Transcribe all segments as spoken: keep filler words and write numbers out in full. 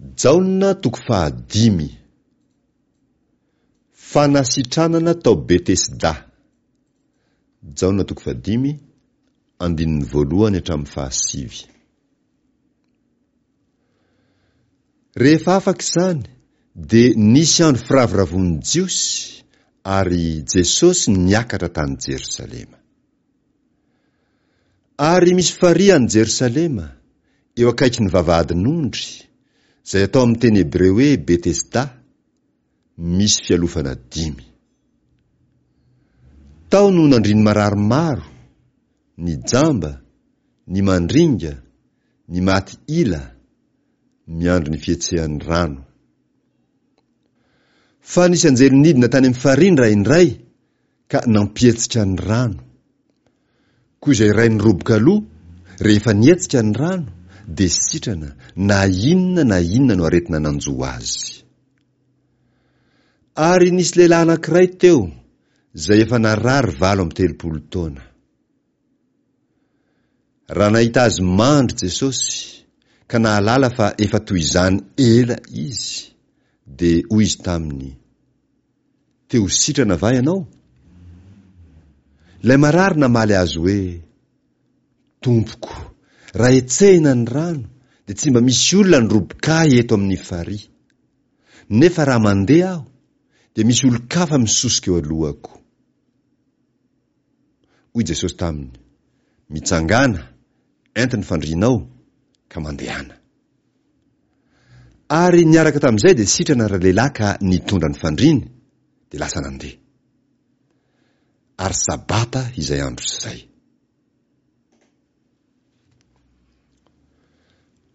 Jaona toko fahadimy. Fanasitranana tao Betesda. Jaona toko fahadimy, andininy voalohany hatramin'ny fahasivy. Rehefa afaka izany dia nisy andro firavoravoan'ny Jiosy ary Jesosy niakatra tany Jerosalema. Ary misy farihy any Jerosalema, eo akaikin'ny vavahadin'ondry, izay atao amin'ny teny hebreo hoe Betesda, misy fialofana dimy. Tao no nandrin'ny marary maro, ny jamba, ny mandringa, ny maty ila, miandry ny fihetsehan'ny rano. Fa nisy anjely nidina tany amin'ny farihy indraindray ka nampihetsika ny rano. Koa izay iray niroboka aloha, rehefa nihetsika ny rano, dia sitrana na inona na inona no aretina nanjo azy. Ary nisy lehilahy anankiray teo, izay efa narary valo amby telopolo taona. Raha nahita azy mandry Jesosy, ka nahalala fa efa toy izany ela izy, dia hoy izy taminy, Te ho sitrana va ianao? Ilay marary namaly azy hoe, Tompoko, raha hetsehina ny rano, dia tsy mba misy olona handroboka ahy eto amin'ny farihy. Nefa raha mandeha aho, dia misy olon-kafa misosoka eo alohako. Hoy Jesosy taminy, Mitsangàna, ento ny fandrianao, ka mandehana. Ary niaraka tamin'izay dia sitrana ralehilahy ka nitondra ny fandriany, dia lasa nandeha. Ary Sabata izay andro izay.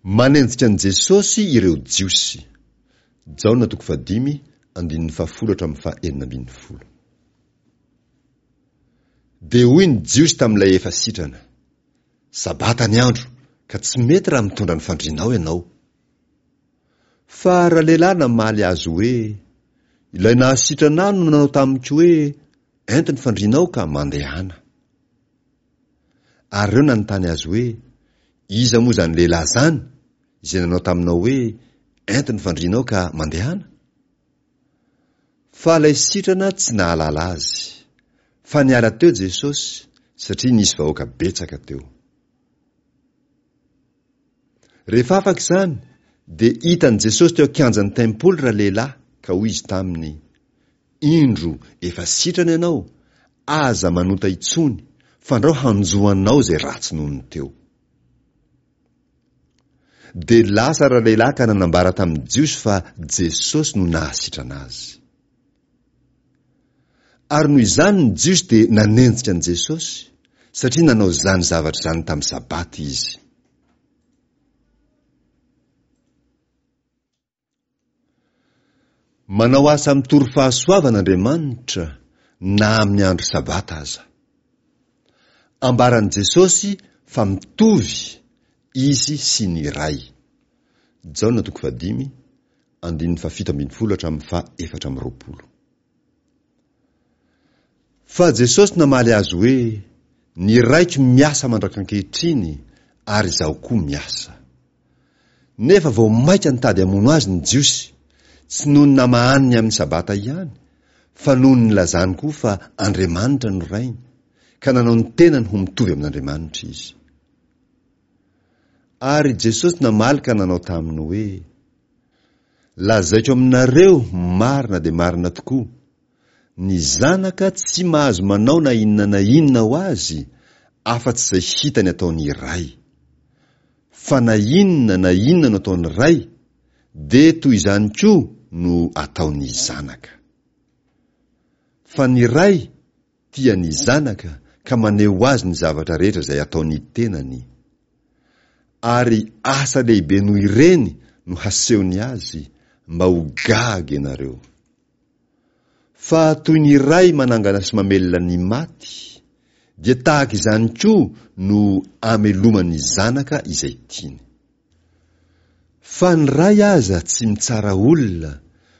Manenjika an'i Jesosy ireo Jiosy. Jaona toko fahadimy, andininy fahafolo hatramin'ny fahenina ambin'ny folo. Dia hoy ny Jiosy tamin'ilay efa sitrana, Sabata ny andro, ka tsy mety raha mitondra ny fandrianao ianao. Fa ralehilahy namaly azy hoe, Ilay nahasitrana ahy no nanao tamiko hoe, Ento ny fandrianao ka mandehana. Ary ireo nanontany azy hoe, Iza moa izany lehilahy izany, izay nanao taminao hoe, Ento ny fandrianao ka mandehana? Fa ilay sitrana tsy nahalala azy. Fa niala teo Jesosy, satria nisy vahoaka betsaka teo. Rehefa afaka izany, dia hitan'i Jesosy teo an-kianjan'ny tempoly ralehilahy, ka hoy izy taminy, Indro, efa sitrana ianao, aza manota intsony, fandrao hanjo anao izay ratsy noho ny teo. Dia lasa ralehilahy ka nanambara tamin'ny Jiosy fa Jesosy no nahasitrana azy. Ary noho izany ny Jiosy dia nanenjika an'i Jesosy, satria nanao izany zavatra izany tamin'ny Sabata izy. Manao asa mitory fahasoavana Andriamanitra na amin'ny andro Sabata aza. Ambaran'i Jesosy fa mitovy Izy sy ny Ray. Jaona toko fahadimy, andininy fahafito ambin'ny folo hatramin'ny faha efatra amby roapolo. Fa Jesosy namaly azy hoe, Ny Raiko miasa mandrak'ankehitriny, ary Izaho koa miasa. Nefa vao mainka nitady hamono azy ny Jiosy, tsy noho ny namahaniny amin'ny Sabata ihany, fa noho ny nilazany koa fa Andriamanitra no Rainy, ka nanao ny tenany ho mitovy amin'Andriamanitra izy. Ary Jesosy namaly ka nanao taminy hoe, Lazaiko aminareo marina dia marina tokoa, ny Zanaka tsy mahazo manao na inona na inona ho azy, afa-tsy izay hitany ataon'ny Ray. Fa na inona na inona no ataon'ny Ray, dia toy izany koa no ataon'ny Zanaka. Fa ny Ray tia ny Zanaka ka maneho azy ny zavatra rehetra izay ataon'ny tenany. Ary asa lehibe noho ireny no hasehony azy, mba ho gaga ianareo. Fa toy ny Ray manangana sy mamelona ny maty, dia tahaka izany koa no ameloman'ny Zanaka izay tiany. Fa ny Ray aza tsy mitsara olona,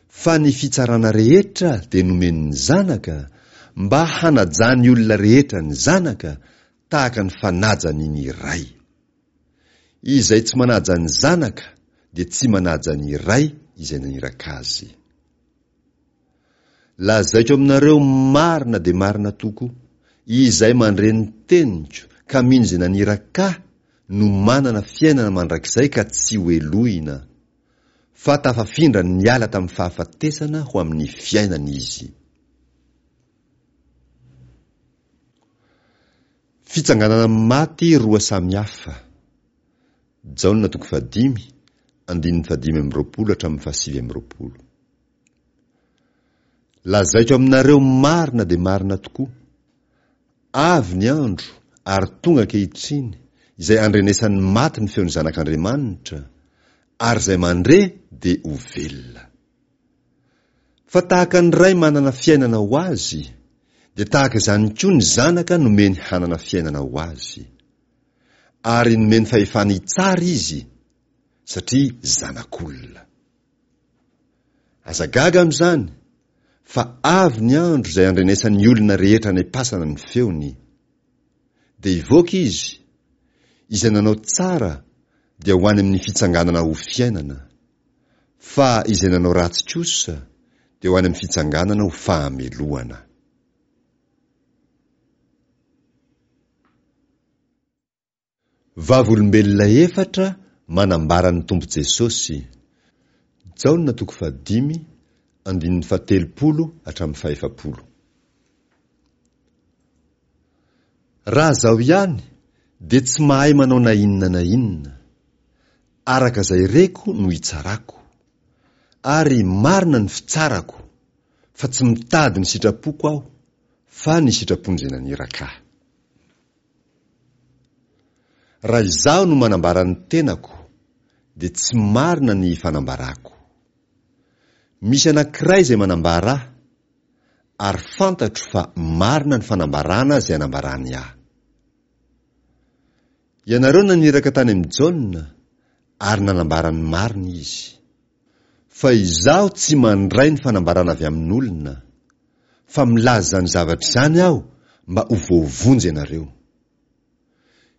fa ny fitsarana rehetra dia nomen'ny Zanaka, mba hanajan'ny olona rehetra ny Zanaka, tahaka ny fanajany ny Ray. Izay tsy manaja ny Zanaka dia tsy manaja ny Ray izay naniraka azy. Lazaiko aminareo marina dia marina tokoa, izay mandre ny teniko ka mino izay naniraka ahy no manana fiainana mandrakizay ka tsy hohelohina, fa tafafindra niala tamin'ny fahafatesana ho amin'ny fiainana izy. Fitsanganana maty roa samy hafa. Jaona toko fahadimy, andininy fahadimy amby roapolo hatramin'ny fahasivy amby roapolo. Lazaiko aminareo marina dia marina tokoa, avy ny andro ary tonga ankehitriny izay andrenesan'ny maty ny feon'ny Zanak'Andriamanitra, ary izay mandre dia ho velona. Fa tahaka ny Ray manana fiainana ho azy, dia tahaka izany koa ny Zanaka nomeny hanana fiainana ho azy. Ary nomeny fahefana hitsara izy, satria Zanak'olona. Aza gaga amin'izany, fa avy ny andro izay andrenesan'ny olona rehetra any am-pasana ny feony. Dia hivoaka izy, izay nanao tsara dia ho any amin'ny fitsanganana ho fiainana, fa izay nanao ratsy kosa dia ho any amin'ny fitsanganana ho fahamelohana. Vavolombelona efatra manambara ny Tompo Jesosy. Jaona toko fahadimy, andininy fahatelopolo hatramin'ny fahefapolo. Raha izaho ihany dia tsy mahay manao na inona na inona. Araka izay reko no itsarako. Ary marina ny fitsarako, fa tsy mitady ny sitrapoko aho, fa ny sitrapon'izay naniraka ahy. Raha izaho no manambara ny tenako, dia tsy marina ny fanambarako. Misy anankiray izay manambara ahy, ary fantatro fa marina ny fanambarana izay anambarany ahy. Ianareo naniraka tany amin'i Jaona, ary nanambara ny marina izy. Fa izaho tsy mandray ny fanambarana avy amin'olona, fa milaza izany zavatra izany aho mba ho voavonjy ianareo.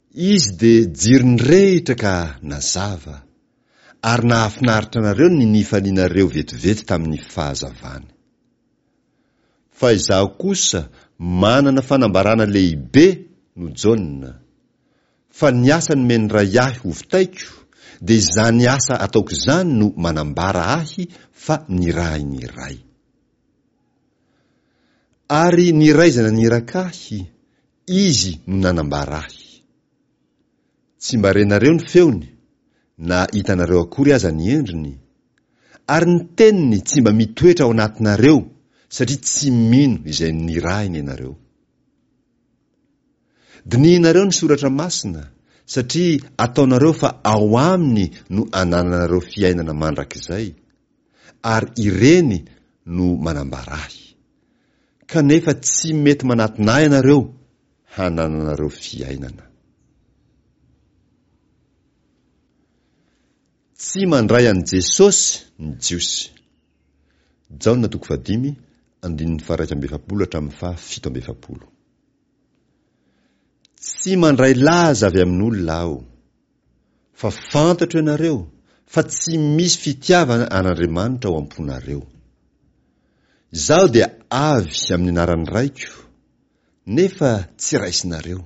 Izy dia jiro nirehitra ka nazava, ary nahafinaritra anareo ny nifalianareo vetivety tamin'ny fahazavany. Fa izaho kosa manana fanambarana lehibe noho Jaona, fa ny asa nomen'ny Ray ahy hovitaiko, dia izany asa ataoko izany no manambara ahy fa nirahin'ny Ray. Ary ny Ray izay naniraka ahy, Izy no nanambara ahy. Tsy mba renareo ny feony, na hitanareo akory aza ny endriny, ary ny teniny tsy mba mitoetra ao anatinareo, satria tsy mino izay nirahiny ianareo. Dinihinareo ny Soratra Masina, satria ataonareo fa ao aminy no anananareo fiainana mandrakizay, ary ireny no manambara ahy. Kanefa tsy mety manatona ahy ianareo hanananareo fiainana. Tsy mandray an'i Jesosy ny Jiosy. Jaona toko fahadimy, andininy faha-iraika amby efapolo hatramin'ny faha-fito amby efapolo. Tsy mandray laza avy amin'olona aho. Fa fantatro ianareo fa tsy misy fitiavana an'Andriamanitra ao am-ponareo. Izaho dia avy amin'ny anaran'ny Raiko, nefa tsy raisinareo.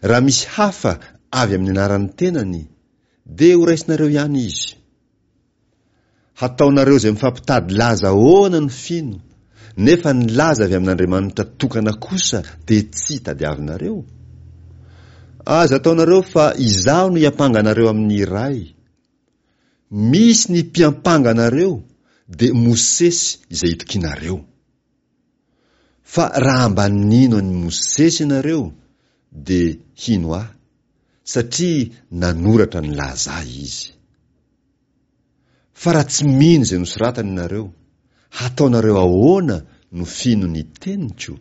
Raha misy hafa avy amin'ny anaran'ny tenany, dia horaisinareo ihany izy. Hataonareo izay mifampitady laza ahoana no fino, nefa ny laza avy amin'Andriamanitra tokana kosa dia tsy tadiavinareo? Aza ataonareo fa izaho no hiampanga anareo amin'ny Ray. Misy ny mpiampanga anareo, dia Mosesy izay itokianareo. Fa raha mba nino an'i Mosesy ianareo, dia hino ahy, satria nanoratra nilaza ahy izy. Fa raha tsy mino izay nosoratany ianareo, hataonareo ahoana no fino ny teniko?